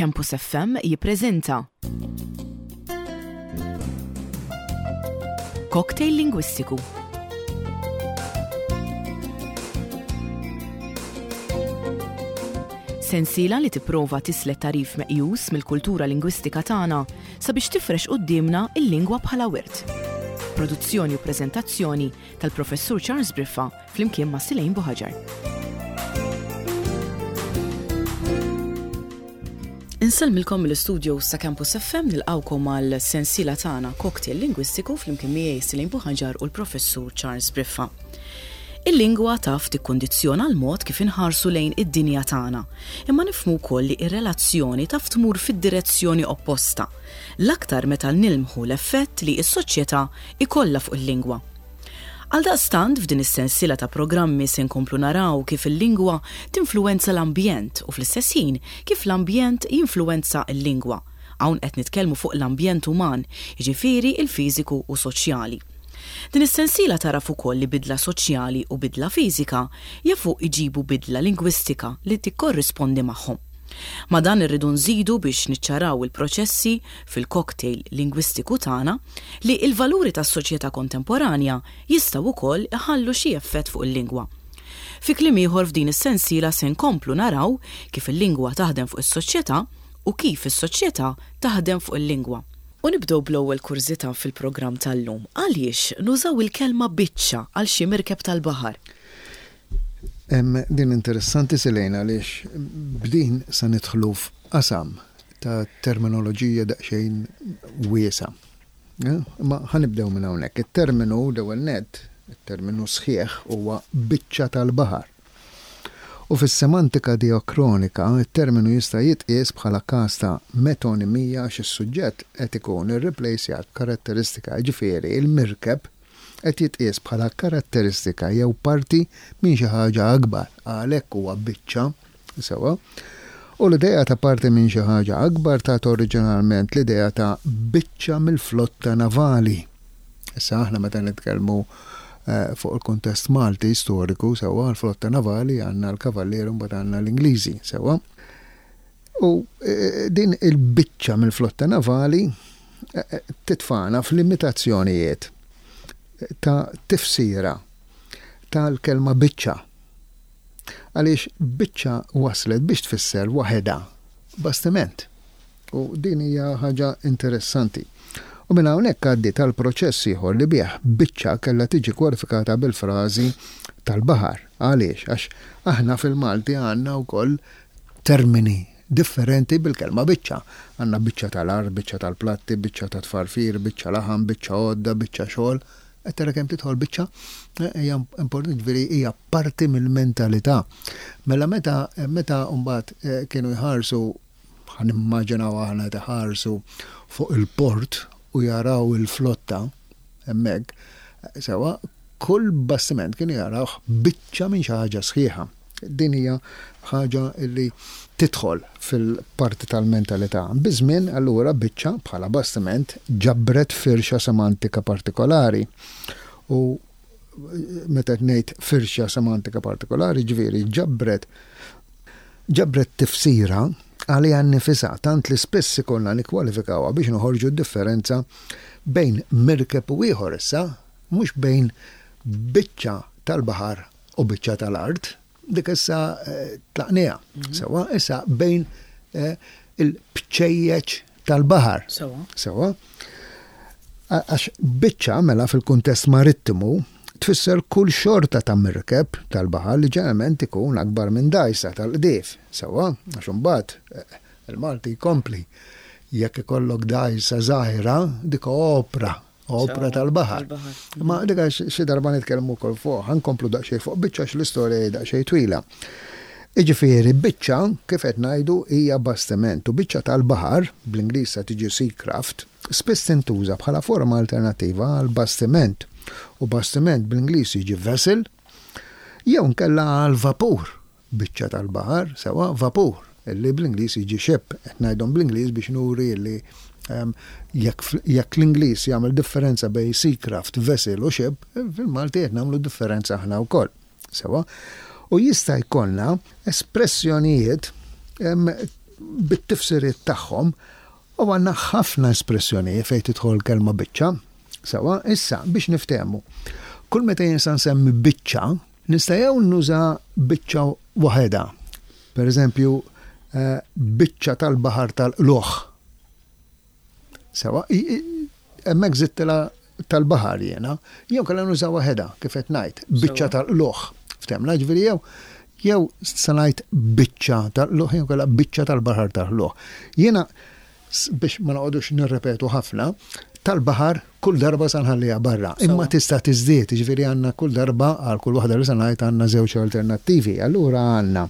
Campus FM jippreżenta Cocktail Lingwistiku. Sensiela li tipprova tislet tagħrif meqjus mill-kultura lingwistika tagħna sabiex tifrex quddiemna l-lingwa bħala wirt. Produzzjoni u preżentazzjoni tal-Professur Charles Briffa flimkien ma' Silejn Buħaġar. Insellmilkom mill-istudios ta' Campus FM nilqawkom għal sensiela tagħna Cocktail Lingwistiku flimkien miegħi Silejn Buħaġar u l-Professur Charles Briffa. Il-lingwa taf tikkundizzjona l-mod kif inħarsu lejn id-dinja tagħna, imma nifhmu wkoll li r-relazzjoni taf tmur fid-direzzjoni opposta, l-aktar meta nilmħu l-effett li s-soċjetà ikollha fuq il-lingwa. Għaldaqstant, f'din is-sensiela ta' programmi se nkomplu naraw kif il-lingwa tinfluwenza l-ambjent u fl-istess ħin kif l-ambjent jinfluwenza l-lingwa. Hawn qed nitkellmu fuq l-ambjent uman, jiġifieri l-fiżiku u soċjali. Din is-sensiela tagħraf ukoll li bidla soċjali u bidla fiżika jafu jġibu bidla lingwistika li tikkorrispondi magħhom. Ma' dan irridu nżidu biex niċċaraw il-proċessi fil-cocktail lingwistiku tagħna li l-valuri tas-soċjetà kontemporanja jistgħu wkoll iħallu xi effett fuq il-lingwa. Fi kliem ieħor f'din is-sensiela se nkomplu naraw kif il-lingwa taħdem fuq is-soċjetà u kif is-soċjetà taħdem fuq il-lingwa. U nibdew bl-ewwel kurżità fil-programm tal-lum. Għaliex nużaw il-kelma biċċa għal xi mirkeb tal-baħar? Din interessanti Selena għaliex b'din se nidħlu f'qasam ta' terminoloġija daqsxejn wiesgħa. Imma ħa nibdew minn hawnhekk. It-terminu l-ewwel nett, it-terminu sħiħ huwa biċċa tal-baħar. U fis-semantika diakronika, it-terminu jista' jitqies bħala każ ta' metonimija għax is-suġġett qed ikun irriplejsjat b'karatteristika, jiġifieri l-mirkeb qed jitqies bħala karatteristika jew parti minn xi ħaġa akbar, għalhekk huwa biċċa, sewwa. U l-idea ta' parti minn xi ħaġa akbar tat oriġinalment l-idea ta' biċċa mill-flotta navali. Issa aħna meta nitkellmu eh, fuq il-kuntest Malti storiku sewwa l-flotta navali għandna l-Kavallieri u mbagħad għandna l-Ingliżi sewwa. U din il-biċċa mill-flotta navali titfagħna f'limitazzjonijiet ta' tifsira tal-kelma biċċa. Għaliex biċċa waslet biex tfisser waħedha bastiment. U din hija ħaġa interessanti. U minn hawnhekk għaddiet għal proċess ieħor li bih biċċa kellha tiġi kwalifikata bil-frażi tal-baħar. Għaliex? Għax aħna fil-Malti għandna wkoll termini differenti bil-kelma biċċa. Għandna biċċa tal-art, biċċa tal-platti, biċċa ta' tfarfir, biċċa laħam, biċċa għodda, biċċa xogħol. Qed tara kemm tidħol biċċa? Eh, hija importanti ġifieri hija parti mill-mentalità. Mela meta meta mbagħad eh, kienu jħarsu ħa nimmaġinaw aħna qed iħarsu fuq il-port u jaraw il-flotta hemmhekk, sewwa kull bastiment kienu jarawh biċċa minn xi ħaġa sħiħa. Din hija ħaġa li tidħol fil-parti tal-mentalità. Biż-żmien allura biċċa bħala bastiment ġabret firxa semantika partikolari u meta qed ngħid firxa semantika partikolari, ġifieri ġabret ġabret tifsira għaliha nnifisha tant li spiss ikollna nikkwalifikawha biex noħorġu d-differenza bejn mirkeb u ieħor issa, mhux bejn biċċa tal-baħar u biċċa tal-art, dik issa eh, tlaqniha. Mhm. Sewa, issa bejn eh, il-bċejjeċ tal-baħar. Sewa. Sewa. Għax biċċa mela fil-kuntest marittimu tfisser kull xorta ta' mirkeb tal-baħar li ġeneralment ikun akbar minn dgħajsa tal-qdief. Sewwa, għax imbagħad eh, il-Malti jkompli. Jekk ikollok dgħajsa żgħira, dik opra opra tal-baħar. Ma dik xi darba nitkellmu wkoll fuq, ħankomplu daqsxejn fuq biċċa x-l-istorja hi daqsxejn twila. Jiġifieri biċċa, kif qed ngħidu, hija bastiment u biċċa tal-baħar, bl-Ingliż se tiġi seacraft, spiss tintuża bħala forma alternattiva għal bastiment. U bastiment bl-Ingliż jiġi vessel, jew inkella għal vapur, biċċa tal-baħar, sewwa, vapur, illi bl-Ingliż jiġi ship. Qed ngħidhom bl-Ingliż biex nuri illi jekk jekk l-Ingliż jagħmel differenza bejn seacraft, vessel u ship, fil-Malti qed nagħmlu differenza aħna wkoll. Sewwa? U jista' jkollna espressjonijiet. bit-tifsiriet tagħhom u għandna ħafna espressjonijiet fejn tidħol kelma biċċa. Sewwa, issa biex niftehmu. Kull meta jien sa nsemmi biċċa, nista' jew nuża biċċa waħedha. Per eżempju, eh, biċċa tal-baħar tal-qluħ. Sewa, hemmhekk żidtilha tal-baħar jiena, jew kellha nuża waħedha kif qed ngħid, biċċa tal-qluħ. Ftemna ġifieri jew jew se ngħid biċċa tal-qluħ jew kellha biċċa tal-baħar tal-qluħ. Jiena biex ma noqogħdux nirrepetu ħafna, tal-baħar kull darba sa nħalliha barra. Imma tista' tiżdied, jiġifieri għandna kull darba għal kull waħda li se ngħid għandna żewġ alternattivi. Allura għandna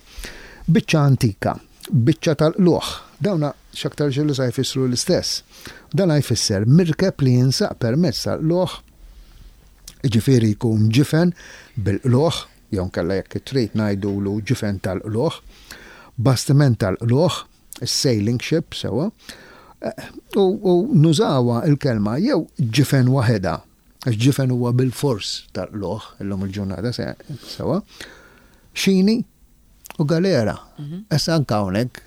biċċa antika, biċċa tal-qlugħ. Dawna x'aktarx li sa jfissru l-istess. Dan jfisser mirkeb li jinsaq permezz tal-qlugħ, jiġifieri jkun ġifen bil-qlugħ, jew inkella jekk trid ngħidulu ġifen tal-qlugħ, bastiment tal-qlugħ, is-sailing ship sewwa, u nużawha l-kelma jew ġifen waħedha, għax ġifen huwa bilfors tal-qlugħ illum il-ġurnata sewwa, xini u galera. Mhm. Issa anke hawnhekk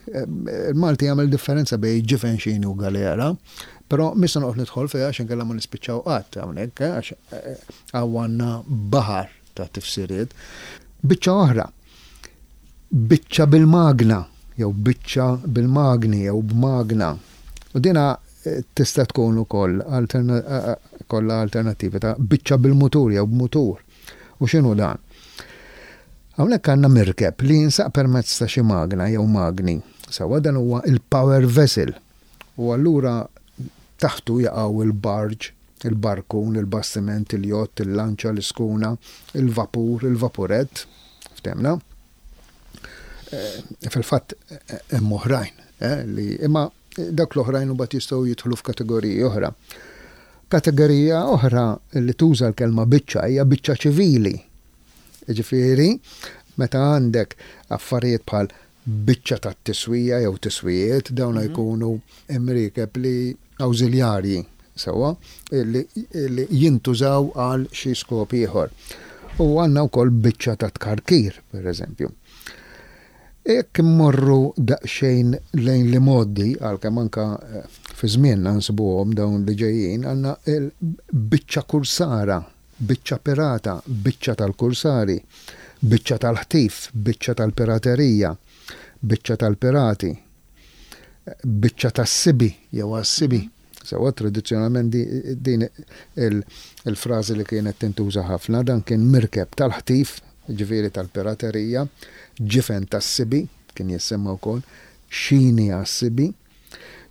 il-Malti jagħmel differenza bejn ġifen xini u galera, però mhix se noqgħod nidħol fiha għax inkella ma nispiċċaw qatt hawnhekk eh, għax eh, hawn għandna baħar ta' tifsiriet. Biċċa oħra, biċċa bil-magna jew biċċa bil-magni jew b'magna. U dina eh, tista' tkun ukoll eh, kollha alternattivi ta' biċċa bil-mutur jew b'mutur. U x'inhu dan? Hawnhekk għandna mirkeb li jinsaq permezz ta' xi magna jew magni. Sewwa dan huwa il-power vessel. U allura taħtu jaqgħu il-barge, il-barkun, il-bastiment, il-jott, il-lanċa, l-iskuna, il-vapur, il-vapurett, ftemna. Eh, fil-fatt eh, hemm oħrajn eh, li imma dak l-oħrajn imbagħad jistgħu jidħlu f'kategoriji oħra. Kategorija oħra li tuża l-kelma biċċa hija biċċa ċivili. Ġifieri, meta għandek affarijiet bħal biċċa tat-tiswija jew tiswijiet, dawn jkunu imriekeb li awżiljarji sewwa li jintużaw għal xi skop ieħor. U għandna wkoll biċċa ta' tkarkir, pereżempju. Jekk immorru daqsxejn lejn l-imgħoddi, għalkemm anke fi żmienna nsibuhom dawn li ġejjin, għandna l-biċċa kursara biċċa pirata, biċċa tal-kursari, biċċa tal-ħtif, biċċa tal-piraterija, biċċa tal-pirati, biċċa tas-sibi jew għas-sibi. Sewwa tradizzjonalment din il-frażi li kienet tintuża ħafna, dan kien mirkeb tal-ħtif, ġifieri tal-piraterija, ġifen tas-sibi, kien jissemma wkoll, xini għas-sibi,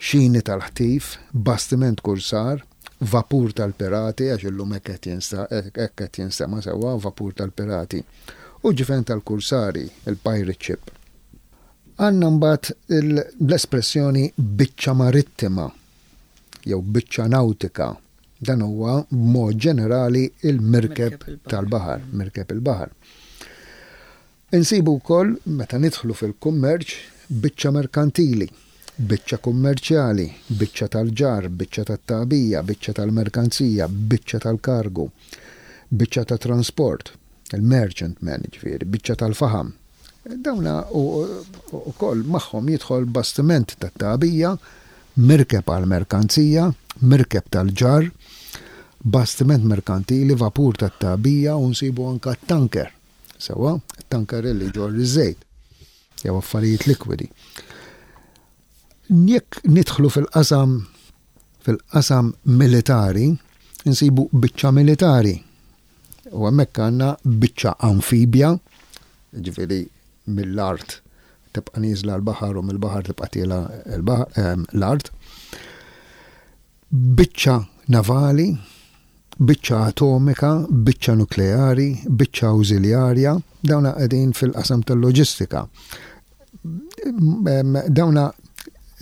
xini tal-ħtif, bastiment kursar, vapur tal-pirati, għax illum hekk qed hekk qed jinstema' sewwa, vapur tal-pirati, u ġifen tal-kursari, il-pirate ship. Għandna mbagħad l-espressjoni biċċa marittima jew biċċa nawtika. Dan huwa b'mod ġenerali il-mirkeb tal-baħar, mirkeb il-baħar. Insibu wkoll, meta nidħlu fil-kummerċ, biċċa merkantili, biċċa kummerċjali, biċċa tal-ġarr, biċċa tat-tagħbija, biċċa tal-merkanzija, biċċa tal-kargu, biċċa ta' transport, il-merchantman, jiġifieri, biċċa tal-faħam. Dawna wkoll magħhom jidħol bastiment tat-tagħbija, mirkeb għall-merkanzija, mirkeb tal-ġarr, bastiment merkantili, vapur tat-tagħbija u nsibu anke t-tanker. Sewwa, tanker li jġorr iż-żejt jew affarijiet likwidi. Jekk nidħlu fil-qasam fil-qasam militari, insibu biċċa militari. U hemmhekk għandna biċċa amfibja, ġifieri mill-art tibqa' nieżla l-baħar u mill-baħar tibqa' tiela l-art. Biċċa navali, biċċa atomika, biċċa nukleari, biċċa awżiljarja, dawna qegħdin fil-qasam tal-loġistika. Dawna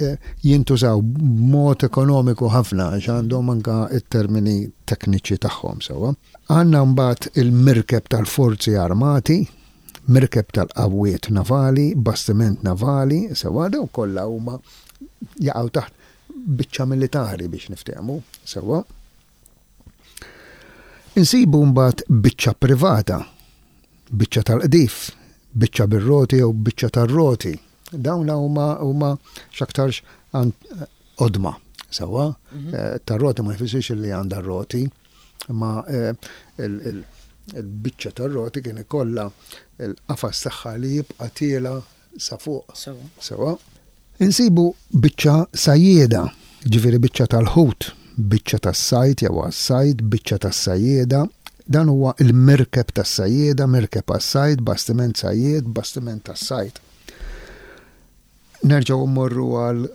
eh, jintużaw b'mod ekonomiku ħafna għax għandhom anka it-termini tekniċi tagħhom sewwa. Għandna mbagħad il-mirkeb tal-forzi armati, mirkeb tal-qawwiet navali, bastiment navali, sewwa daw kollha huma jaqgħu taħt biċċa militari biex niftehmu sewwa. Insibu mbagħad biċċa privata, biċċa tal-qdif, biċċa bir-roti jew biċċa tar-roti. Dawn huma huma x'aktarx qodma. Sewwa, tar-roti ma jfissirx li għandha r-roti, imma il-biċċa tar-roti kien ikollha l-qafas tagħha li jibqa' tiela' sa fuq. Sewwa. Insibu biċċa sajjieda, jiġifieri biċċa tal-ħut, biċċa tas-sajd jew għas-sajd, biċċa tas-sajjieda. Dan huwa l-mirkeb tas-sajjieda, mirkeb għas-sajd, bastiment sajjied, bastiment tas-sajd. Nerġgħu mmorru għal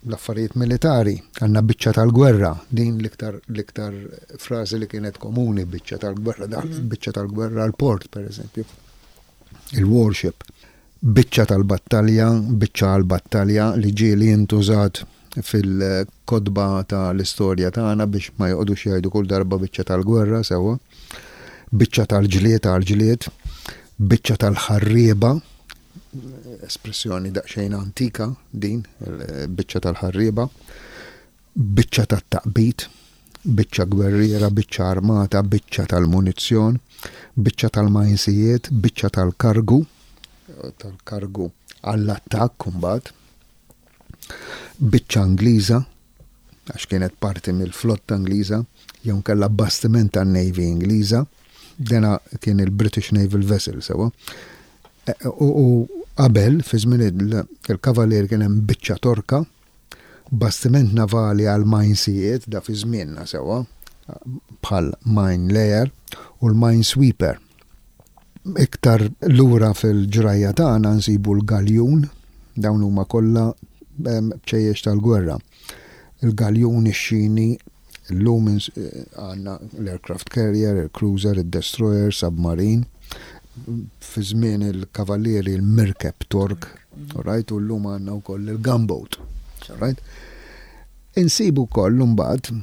l-affarijiet militari, għandna biċċa tal-gwerra, din l-iktar l-iktar frażi li kienet komuni biċċa tal-gwerra, mhm. biċċa tal-gwerra għal-port, per eżempju. Il-warship. Biċċa tal-battalja, biċċa għal-battalja li ġieli intużat fil-kotba ta' l-istorja tagħna biex ma joqogħdux jgħidu kull darba biċċa tal-gwerra sewwa. Biċċa tal-ġlied għal-ġlied, biċċa tal-ħarrieba, espressjoni daqsxejn antika din, biċċa tal-ħarrieba, biċċa tat-taqbid, biċċa gwerriera, biċċa armata, biċċa tal-munizzjon, biċċa tal-majnsijiet, biċċa tal-kargu, tal-kargu għall-attakk imbagħad, biċċa Ingliża, għax kienet parti mill-flotta Ingliża, jew inkella bastiment tan-Navy Ingliża, dena kien il-British Naval Vessel sewwa. E, u qabel, fi żmien il-Kavalier kien hemm biċċa torka, bastiment navali għal majnsijiet, da fi żmienna sewwa, bħal mine layer u l-mine sweeper. Iktar lura fil-ġrajja tagħna nsibu l-galjun, dawn huma kollha bċejjex tal-gwerra. Il-galjun, ix-xini, illum għandna l-aircraft carrier, il-cruiser, il-destroyer, submarine. Fi żmien il-kavallieri l-mirkeb Tork, right, u llum għandna wkoll il-gunboat. Right? Insibu wkoll imbagħad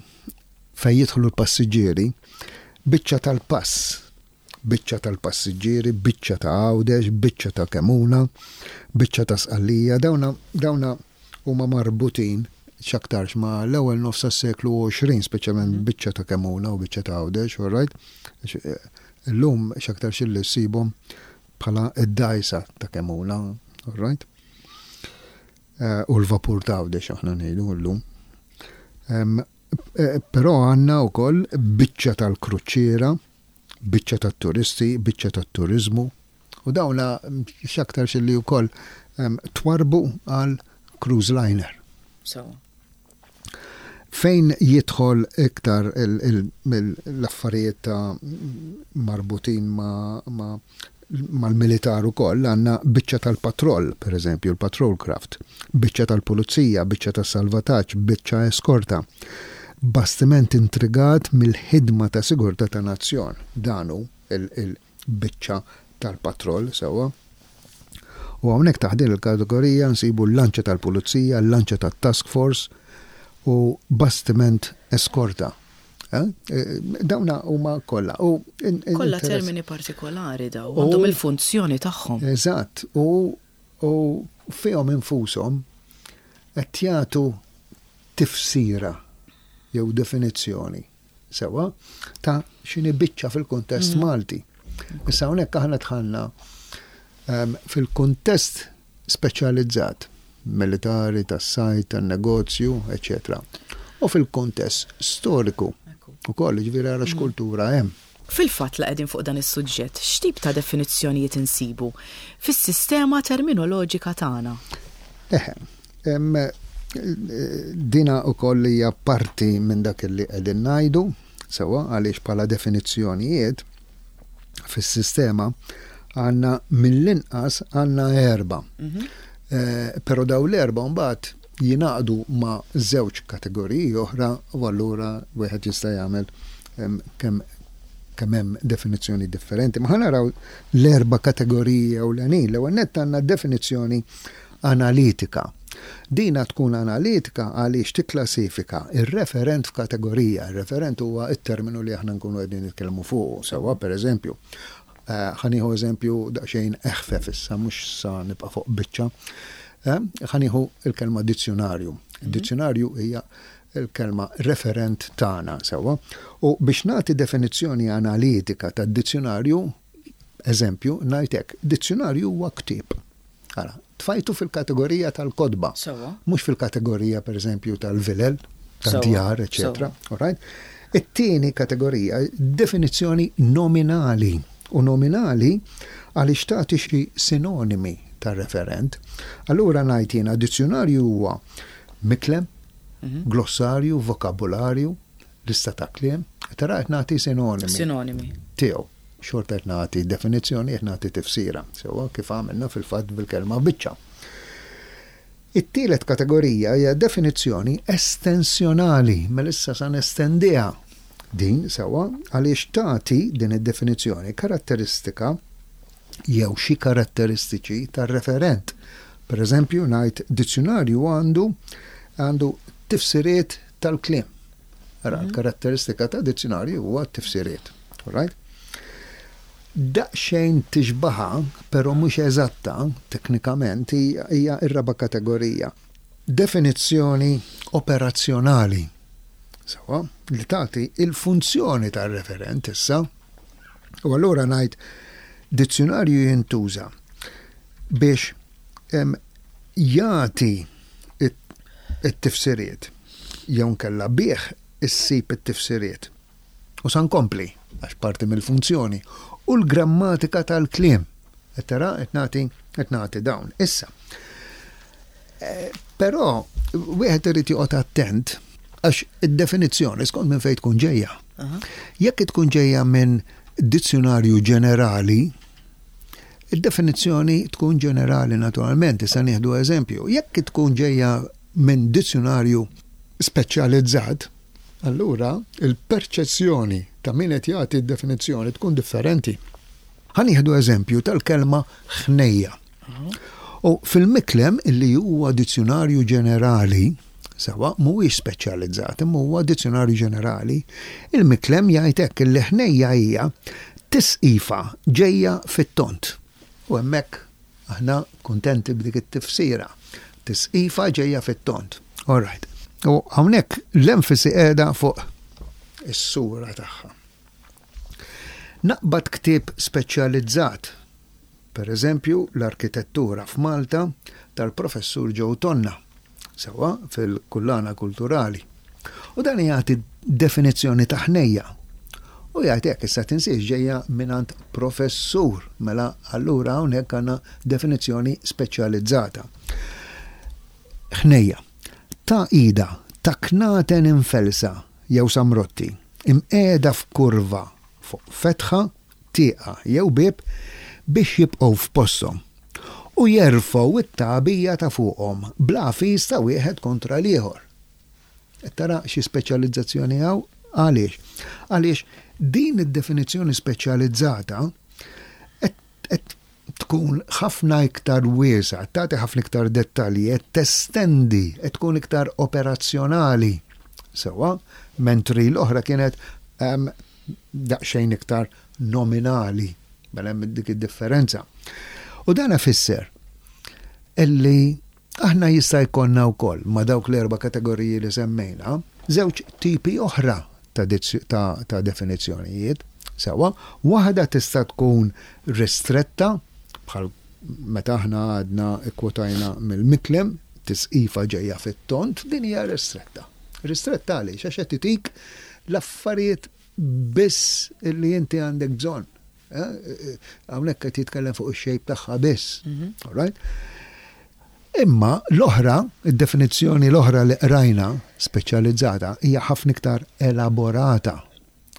fejn jidħlu l-passiġġieri biċċa tal-pass biċċa tal-passiġġieri, biċċa ta' Għawdex, biċċa ta' Kemuna, biċċa ta' Sqallija, dawna dawna huma marbutin x'aktarx ma' l-ewwel nofs tas-seklu 20, speċjalment mhm. biċċa ta' Kemuna u biċċa ta' Għawdex, all right? Eh, illum x'aktarx illi ssibhom bħala id-dajsa ta' Kemuna, all right? Eh, u l-vapur ta' Għawdex aħna ngħidu llum. Eh, però għandna wkoll biċċa tal-kruċiera, biċċa tat-turisti, biċċa tat-turiżmu, u dawna x'aktarx li wkoll twarbu għal cruise liner. Fejn jidħol iktar l-affarijiet ta' marbutin ma' mal-militar ukoll għandna biċċa tal-patroll, per eżempju, l-patrol craft, biċċa tal-pulizija, biċċa tas-salvataġġ, biċċa eskorta. Bastiment intrigat mill-ħidma ta' sigurtà ta' nazzjon. Dan hu il-biċċa tal-patroll, sewwa. U hawnhekk taħt din il-kategorija nsibu l-lanċa tal-pulizija, l-lanċa tat-task force u bastiment eskorta. Eh? Eh, dawna huma kollha. Kollha termini partikolari daw, għandhom il-funzjoni tagħhom. Eżatt, u fihom infushom qed jagħtu tifsira jew definizzjoni sewa ta' x'inhi biċċa fil-kuntest mm. Malti. Issa hawnhekk aħna dħalna ehm, fil-kuntest speċjalizzat, militari, tas-sajd, tan-negozju, eċċetera. U fil-kuntest storiku ukoll, jiġifieri ara x'kultura hemm. Fil-fatt la qegħdin fuq dan is-suġġett, x'tip ta' definizzjonijiet insibu fis-sistema terminoloġika tagħna? Eħe, dina ukoll hija parti minn dak li qegħdin ngħidu, sewwa, għaliex bħala definizzjonijiet fis-sistema għandna mill-inqas għandna erbgħa. Mhm. Eh, però daw l-erbgħa mbagħad jingħaqdu ma' żewġ kategoriji oħra u allura wieħed jista' jagħmel kemm kemm hemm definizzjoni differenti. Ma naraw l-erba' kategoriji ewlenin. L-ewwel nett għandna definizzjoni analitika. Dina tkun analitika għaliex tikklassifika r-referent f'kategorija. Ir-referent huwa t-terminu li aħna nkunu qegħdin nitkellmu fuqu. Sewwa, pereżempju, ħa nieħu eżempju daqsxejn eħfef issa, mhux sa nibqa' fuq biċċa. Ħa nieħu l-kelma dizzjunarju. Dizzjunarju hija l-kelma referent tagħna, sewwa. U biex nagħti definizzjoni analitika tad-dizzjunarju, eżempju, ngħid hekk, dizzjunarju huwa ktieb. Ara, Tfajtu fil-kategorija tal-kotba. Mhux fil-kategorija pereżempju tal-vilel, tad-djar, eċetera. All right? It-tieni kategorija, definizzjoni nominali. U nominali għaliex tagħti xi sinonimi tar-referent. Allura ngħid jiena dizzjunarju huwa miklem, glossarju, vokabularju, lista ta' kliem, tara qed nagħti sinonimi. Sinonimi. Tiegħu. Xorta qed nagħti definizzjoni, qed nagħti tifsira. Sewwa kif għamilna fil-fatt bil-kelma biċċa. It-tielet kategorija hija definizzjoni estensjonali, mela issa sa nestendiha din sewwa għaliex tagħti din id-definizzjoni karatteristika jew xi karatteristiċi tar-referent. Per eżempju, ngħid dizzjunarju għandu għandu tifsiriet tal-kliem. Ara, l-karatteristika ta' dizzjunarju huwa t-tifsiriet. Right? Daqsxejn tixbaha, però mhux eżatta, teknikament, hija r-raba' kategorija. Definizzjoni operazzjonali. Sewwa, li tagħti il-funzjoni tar-referent issa. U allura ngħid dizzjunarju jintuża biex jagħti it-tifsiriet jew nkella bih issib it-tifsiriet. U sa nkompli, għax parti mill-funzjoni, u l-grammatika tal-kliem. Qed tara qed nagħti qed nagħti dawn. Issa, eh, però wieħed irid joqgħod attent għax id-definizzjoni skont minn fejn tkun ġejja. Jekk tkun ġejja minn dizzjunarju ġenerali, id-definizzjoni tkun ġenerali naturalment, issa nieħdu eżempju. Jekk tkun ġejja minn dizzjunarju speċjalizzat, allura il-perċezzjoni ta' min qed jagħti d-definizzjoni tkun differenti. Ħa nieħdu eżempju tal-kelma ħnejja. U fil-Miklem illi huwa dizzjunarju ġenerali, sewa mhuwiex speċjalizzat, imma huwa dizzjunarju ġenerali, il-Miklem jgħid hekk illi ħnejja hija tisqifa ġejja fit-tond. U hemmhekk aħna kuntenti b'dik it-tifsira. Tisqifa ġejja fit-tond. All right. U hawnhekk l-enfasi qiegħda fuq is-sura tagħha. Naqbad ktieb speċjalizzat, per eżempju l-Arkitettura f'Malta tal-Professur Joe Tonna, sewwa fil-Kullana Kulturali. U dan jagħti definizzjoni ta' ħnejja. U jgħid hekk, issa tinsiex ġejja mingħand professur, mela allura hawnhekk għandna definizzjoni speċjalizzata. Ħnejja. Ta' ida, ta' knaten imfellsa jew samrotti, imqiegħda f'kurva fuq fetħa, tieqa jew bieb biex jibqgħu f'posthom u jerfgħu t-tagħbija ta' fuqhom bl-għafis ta' wieħed kontra l-ieħor. Qed tara xi speċjalizzazzjoni hawn? Għaliex? Għaliex din id-definizzjoni speċjalizzata qed tkun ħafna iktar wiesgħa, tagħti ħafna iktar dettalji, qed testendi, qed tkun iktar operazzjonali. Sewwa, mentri l-oħra kienet ehm, daqsxejn iktar nominali. Mela hemm dik id-differenza. U dan ifisser illi aħna jista' jkollna wkoll ma' dawk l-erba' kategoriji li semmejna, żewġ tipi oħra ta', ta, ta definizzjonijiet. Sewwa, waħda tista' tkun ristretta bħal meta aħna għadna kkwotajna mill-Miklem, tisqifa ġejja fit-tond, din hija ristretta. Ristretta għaliex? Għax qed titik l-affarijiet biss li inti għandek bżonn. Eh, hawnhekk qed jitkellem fuq ix-xejp tagħha biss. Mhm. All right? Imma l-oħra, id-definizzjoni l-oħra li qrajna speċjalizzata hija ħafna iktar elaborata.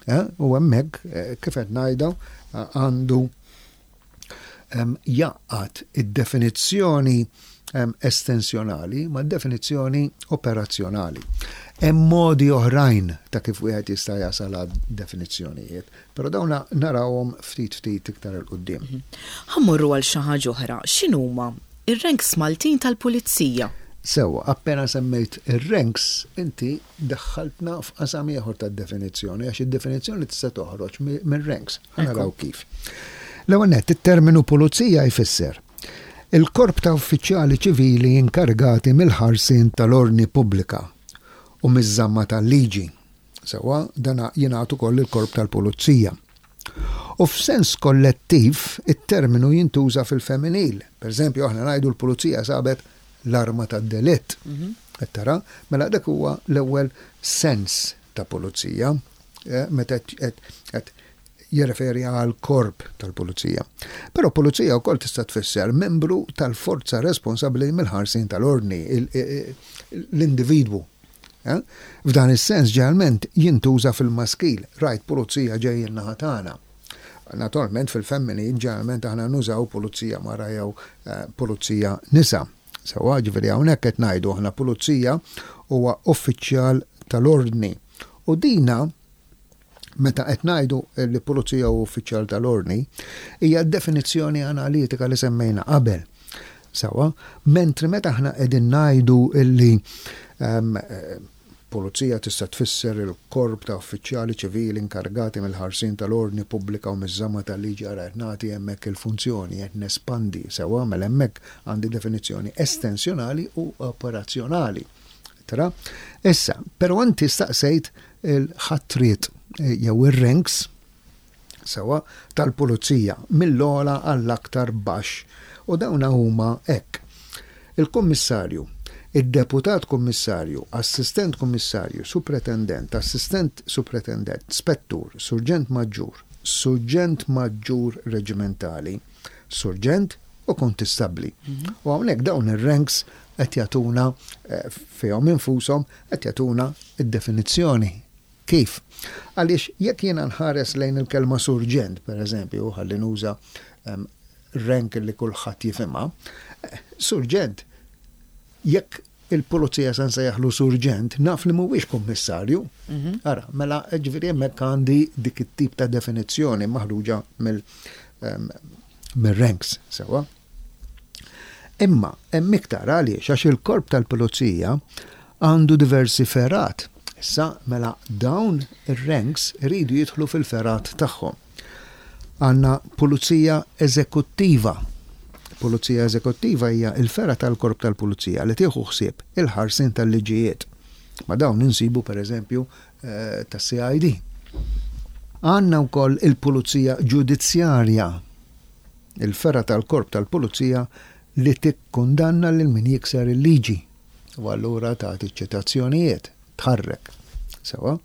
Eh? U hemmhekk eh, kif qed ngħidu għandu jgħaqqad id-definizzjoni estensjonali ma' definizzjoni operazzjonali. Hemm modi oħrajn ta' kif wieħed jista' jasal għad definizzjonijiet, però dawn narawhom ftit ftit iktar 'il quddiem. Mhm. Ħa mmorru għal xi ħaġa oħra. X'inhuma ir-ranks Maltin tal-Pulizija? Sewwa, appena semmejt ir-ranks, inti daħħaltna f'qasam ieħor tad-definizzjoni għax id-definizzjoni tista' toħroġ mir-ranks. Ħa naraw kif. L-ewwel nett, it-terminu pulizija jfisser il-korp ta' uffiċjali ċivili inkarigati mill-ħarsien tal-ordni pubblika u miż-żamma tal-liġi. Sewwa, dan jingħad ukoll il-korp tal-pulizija. U f'sens kollettiv, it-terminu jintuża fil-femminil. Per eżempju, aħna ngħidu l-pulizija sabet l-arma tad-delitt. Qed tara? Mela dak huwa l-ewwel sens ta' pulizija, meta qed jirreferi għal korp tal-pulizija. Però pulizija wkoll tista' tfisser membru tal-forza responsabbli mill-ħarsien tal-ordni, l-individwu. F'dan is-sens ġeneralment jintuża fil-maskil, rajt pulizija ġejjin naħa tagħna. Naturalment fil-femminil ġeneralment aħna nużaw pulizija mara jew pulizija nisa. Sewwa, ġifieri hawnhekk qed ngħidu aħna pulizija huwa uffiċjal tal-ordni. U dina meta qed ngħidu li pulizija huwa uffiċjal tal-ordni, hija d-definizzjoni analitika li semmejna qabel. Sewwa, mentri meta aħna qegħdin ngħidu illi pulizija tista' tfisser il-korp ta' uffiċjali ċivili inkarigati mill-ħarsien tal-ordni pubblika u miż-żamma tal-liġi, ara qed nagħti hemmhekk il-funzjoni, qed nespandi, sewwa, mela hemmhekk għandi definizzjoni estensjonali u operazzjonali. Tara? Issa, però inti staqsejt il-ħatriet jew ir-ranks sewwa tal-pulizija mill-ogħla għall-aktar baxx u dawn huma hekk. Il-Kummissarju, id-Deputat Kummissarju, Assistent Kummissarju, Supretendent, Assistent Supretendent, Spettur, Surġent Maġġur, Surġent Maġġur Reġimentali, Surġent u Kuntistabbli. U hawnhekk dawn ir-ranks qed jagħtuna fihom infushom qed jagħtuna d-definizzjoni Kif? Għaliex jekk jiena nħares lejn il-kelma surġent, per eżempju, ħalli nuża rank li kulħadd jifhimha, surġent, jekk il-pulizija se nsejjaħlu surġent, naf li mhuwiex kummissarju. Ara, mela ġifieri hemmhekk għandi dik it-tip ta' definizzjoni maħruġa mill-ranks, sewwa. Imma hemm iktar għaliex għax il-korp tal-pulizija għandu diversi fergħat. Issa mela dawn ir-ranks iridu jidħlu fil-fergħat tagħhom. Għandna pulizija eżekuttiva. Pulizija eżekuttiva hija l-fergħa tal-korp tal-pulizija li tieħu ħsieb il-ħarsien tal-liġijiet. Ma' dawn insibu pereżempju eh, tas-CID. Għandna wkoll il-pulizija ġudizzjarja Il-fergħa tal-Korp tal-Pulizija li tikkundanna lil min jikser il-liġi u allura tagħti ċ-ċitazzjonijiet, tħarrek. Sewwa.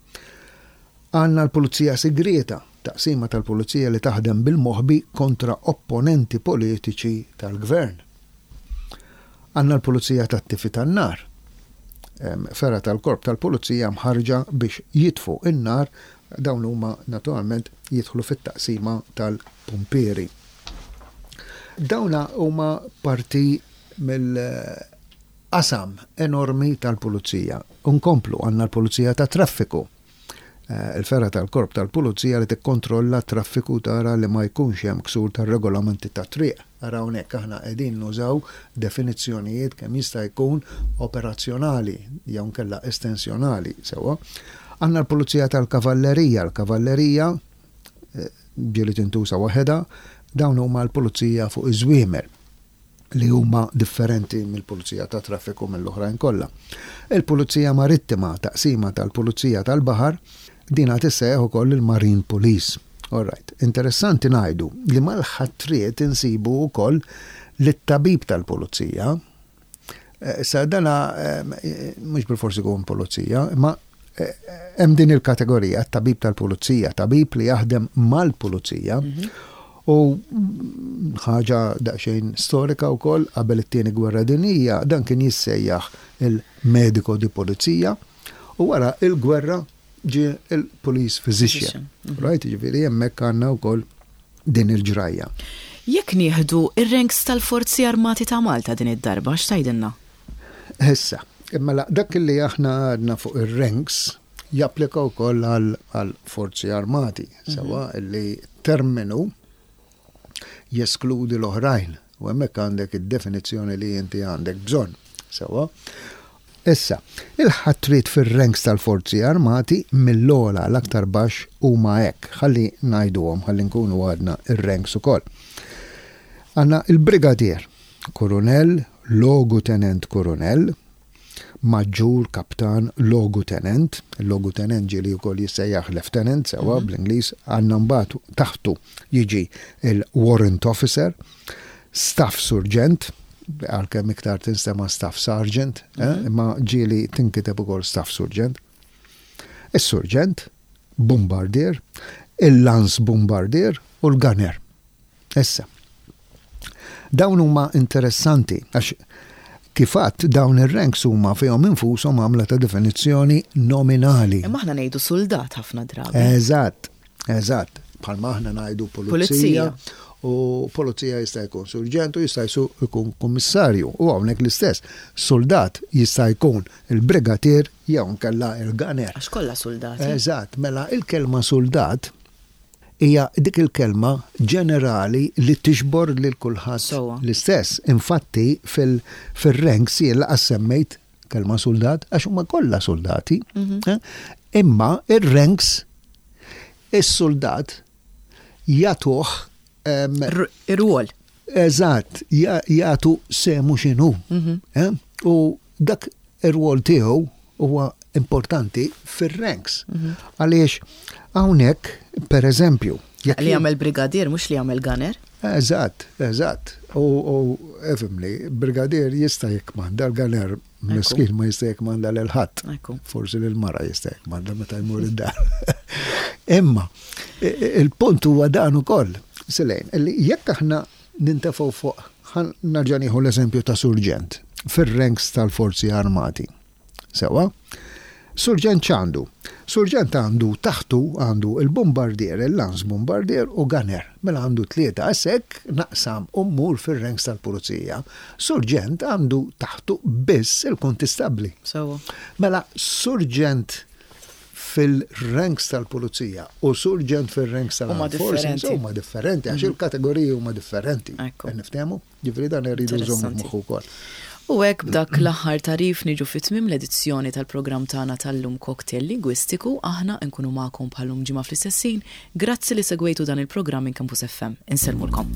Għandna l-Pulizija Sigrieta, taqsima tal-Pulizija li taħdem bil-moħbi kontra opponenti politiċi tal-Gvern. Għandna l-Pulizija tat-Tifi tan-Nar, fergħa tal-Korp tal-Pulizija mħarrġa biex jitfu n-nar, dawn huma naturalment jidħlu fit-taqsima tal-pumpieri. Dawna huma parti mill-qasam enormi tal-Pulizija. Nkomplu, għandna l-Pulizija tat-Traffiku. Il-fergħa tal-Korp tal-Pulizija li tikkontrolla t-traffiku tara li ma jkunx hemm ksur tar-regolamenti tat-triq. Ara hawnhekk aħna qegħdin nużaw definizzjonijiet kemm jista' jkun operazzjonali jew inkella estensjonali, sewwa. Għandna l-Pulizija tal-Kavallerija, l-Kavallerija ġieli tintuża waħedha, dawn huma l-pulizija fuq iż-żwiemel. li huma differenti mill-Pulizija tat-Traffiku mill-oħrajn kollha. Il-Pulizija Marittima, taqsima tal-Pulizija tal-Baħar, din għad issejjaħ ukoll il-Marine Police. All right. Interessanti ngħidu li mal-ħatriet insibu wkoll lit-tabib tal-Pulizija. Issa dana mhux bilfors ikun pulizija, imma Hemm din il-kategorija, tabib tal-pulizija, tabib li jaħdem mal-pulizija. U ħaġa daqsxejn storika wkoll qabel it-tieni gwerra dinjija dan kien jissejjaħ il-medico di pulizija u wara il-gwerra ġie il-police physician. Right, jiġifieri hemmhekk għandna wkoll din il-ġrajja. Jekk nieħdu r-ranks tal-Forzi Armati ta' Malta din id-darba, x'tgħidilna? Issa, mela dak li aħna għadna fuq ir-ranks japplika wkoll għal forzi armati, sewa li terminu jeskludi l-oħrajn u hemmhekk għandek id-definizzjoni li inti għandek bżonn. Sewa. Issa, il-ħatriet fir-ranks tal-forzi armati mill-ogħla l-aktar baxx huma hekk, ħalli ngħiduhom ħalli nkunu għadna ir-ranks ukoll. Għandna il-brigadier, Kurunell, Logu Tenent Kurunell, maġġur, kaptan, logu tenent, il-logu tenent ġieli wkoll jissejjaħ lieutenant sewwa bl-Ingliż, għandna mbagħad taħtu jiġi il-warrant officer, staff surġent, għalkemm iktar tinstema' staff sergeant, imma ġieli tinkiteb ukoll staff surġent, is-surġent, bombardier, il-lance bombardier u l-gunner. Issa, dawn huma interessanti għax kif għadt dawn ir-ranks huma fihom infushom għamla ta' definizzjoni nominali. Imma aħna ngħidu suldat ħafna drabi. Eżatt, eżatt. Bħalma aħna ngħidu pulizija. U pulizija jista' jkun surġent u jista' jkun kummissarju. U hawnhekk l-istess. Suldat jista' jkun il-brigatier jew inkella il-gunner. Għax kollha suldati. Eżatt, mela il-kelma suldat hija dik il-kelma ġenerali li tiġbor lil kulħadd l-istess. Infatti fil-ranks jien laqas semmejt kelma suldat għax huma kollha soldati. Imma ir-ranks is-soldat jagħtuh ir-rwol. Eżatt, jagħtu semu x'inhu. U dak ir-rwol tiegħu huwa importanti fir-ranks. Għaliex hawnhekk, per eżempju, jekk li jagħmel brigadier mhux li jagħmel gunner. Eżatt, eżatt. U efimli, brigadier jista' jikkmanda l-gunner miskin ma jista' jikkmanda lil ħadd. Forsi lil mara jista' jikkmanda meta jmur id-dar. Imma il-punt huwa dan ukoll, Silejn, li jekk aħna nintefgħu fuq, nerġa' nieħu l-eżempju ta' surġent fir-ranks tal-forzi armati. Sewa? Surġent x'għandu? Surġent għandu taħtu għandu il-bombardier, il-lance bombardier u gunner. Mela għandu tlieta. Issa hekk naqsam u mmur fir-ranks tal-pulizija. Surġent għandu taħtu biss il-kuntistabbli. Sewa. Mela surġent fil-ranks tal-pulizija u surġent fil-ranks tal-armed forces huma differenti għax il-kategoriji huma differenti. Niftehmu? Ġifieri dan irridu nżommu f'moħħu wkoll. U hekk b'dak l-aħħar tagħrif niġu fi tmiem l-edizzjoni tal-programm tagħna tal-lum Cocktail Lingwistiku. Aħna nkunu magħkom bħal-lum ġimgħa fl-istess ħin. Grazzi li segwejtu dan il-programm minn Campus FM. Insellmulkom.